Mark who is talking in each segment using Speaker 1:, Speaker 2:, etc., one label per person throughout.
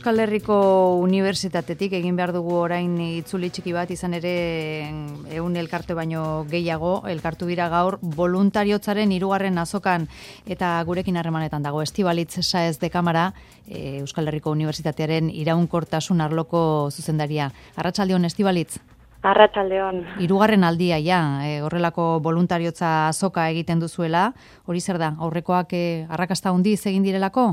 Speaker 1: Euskal Herriko Unibertsitatetik egin behar dugu orain itzuli txiki bat, izan ere 100 elkarte baino gehiago elkartu dira gaur voluntariotzaren 3. azokan, eta gurekin harremanetan dago Estibalitz Sáez de Cámara, Euskal Herriko Unibertsitatearen iraunkortasun arloko zuzendaria. Arratsaldeon, Estibalitz.
Speaker 2: Arratsaldeon.
Speaker 1: 3. aldia horrelako voluntariotza azoka egiten duzuela. Hori zer da? Aurrekoak arrakasta handiz egin direlako?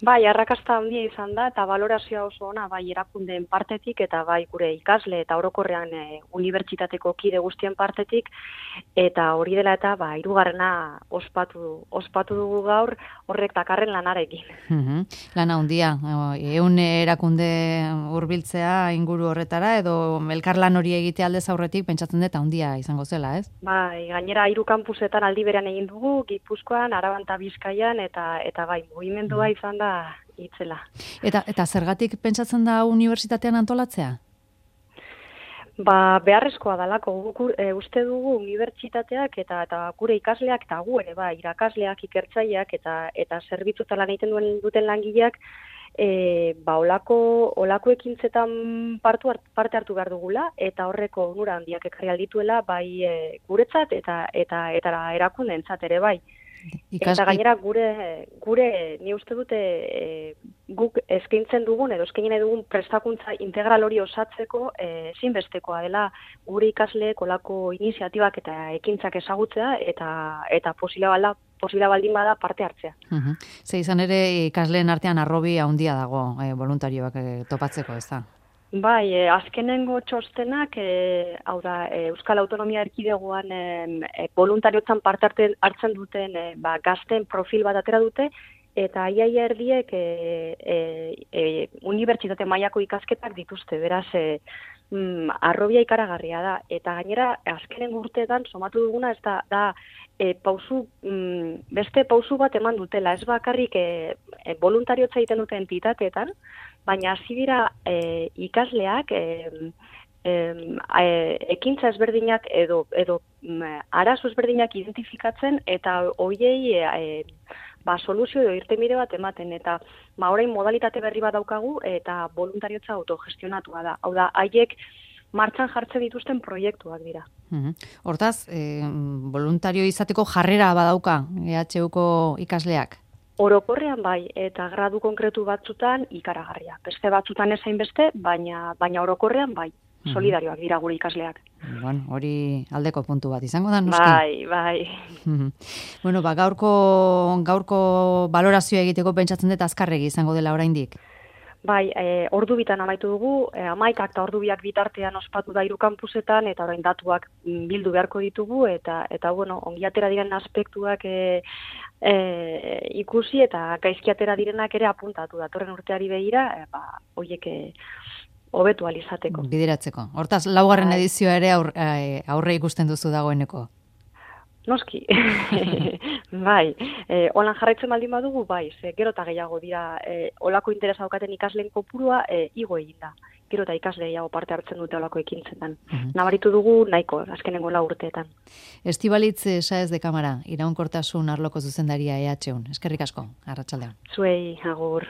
Speaker 2: Bai, arrakasta handia izan da eta balorazioa oso ona bai erakundeen partetik eta bai gure ikasle eta orokorrean unibertsitateko kide guztien partetik, eta hori dela eta 3. ospatu dugu gaur horrek dakarren lanarekin.
Speaker 1: Lana handia, 100 erakunde hurbiltzea inguru horretara edo elkarlan hori egitea aldez aurretik pentsatzen dut handia izango zela, ez?
Speaker 2: Bai, gainera 3 kampusetan aldi berean egin dugu, Gipuzkoan, Araban eta Bizkaian eta bai, mugimendua izan da itzela.
Speaker 1: Eta zergatik pentsatzen da unibertsitatean antolatzea?
Speaker 2: Beharrezkoa dalako, uste dugu unibertsitateak eta gure ikasleak eta gu ere irakasleak, ikertzaileak eta zerbitzuetan lan egiten duten langileak olako ekintzetan parte hartu behar dugula, eta horreko onura handiak ekarri aldituela bai guretzat eta erakundeentzat ere bai. Eta gainera gure ni uste dute guk eskaintzen dugun edo eskaini dugun prestakuntza integral hori osatzeko ezinbestekoa dela gure ikasleek olako iniziatibak eta ekintzak ezagutzea eta posible baldin bada parte hartzea.
Speaker 1: Ze izan ere ikasleen artean arrobi handia dago voluntarioak topatzeko, ez da?
Speaker 2: Bai, azkenengo txostenak, hau da, Euskal Autonomia Erkidegoan voluntariotzan parte hartzen duten gazten profil bat atera dute, eta iaia erdiek unibertsitate mailako ikasketak dituzte, beraz, arrobia ikaragarria da, eta gainera azkenengo urteetan somatu duguna ez da beste pausu bat eman dutela, ez bakarrik voluntariotza egiten duten entitateetan, baina hasi dira ikasleak ekintza ezberdinak edo arazo ezberdinak identifikatzen eta hoiei soluzio edo irtenbide bat ematen, eta orain modalitate berri bat daukagu eta voluntariotza autogestionatua da. Hau da, haiek martxan jartzen dituzten proiektuak dira.
Speaker 1: Hortaz, voluntario izateko jarrera badauka EHUko ikasleak?
Speaker 2: Orokorrean bai, eta gradu konkretu batzutan ikaragarria. Beste batzutan ezain beste, baina orokorrean bai. Solidarioak dira gure ikasleak.
Speaker 1: Bueno, hori aldeko puntu bat izango da, noski?
Speaker 2: Bai.
Speaker 1: Bueno, gaurko balorazioa egiteko pentsatzen dut azkarregi izango dela oraindik.
Speaker 2: Bai, ordu bitan amaitu dugu, 11 eta ordu biak bitartean ospatu da 3 kampusetan, eta orain datuak bildu beharko ditugu, eta ongi atera diren aspektuak ikusi, eta gaizki atera direnak ere apuntatu datorren urteari begira, horiek hobetu alizateko.
Speaker 1: Bideratzeko. Hortaz, 4. edizioa ere aurre ikusten duzu dagoeneko.
Speaker 2: Noski. Bai. Holan jarraitzen baldin badugu, bai. Gero eta gehiago dira olako interesa daukaten ikasleen kopurua igo egin da. Gero eta ikasle gehiago parte hartzen dute olako ekintzetan. Nabaritu dugu nahiko, azkenengo 4 urteetan.
Speaker 1: Estibalitz Sáez de Cámara, iraunkortasun arloko zuzendaria EHUn. Eskerrik asko, arratsaldeon.
Speaker 2: Zuei, agur.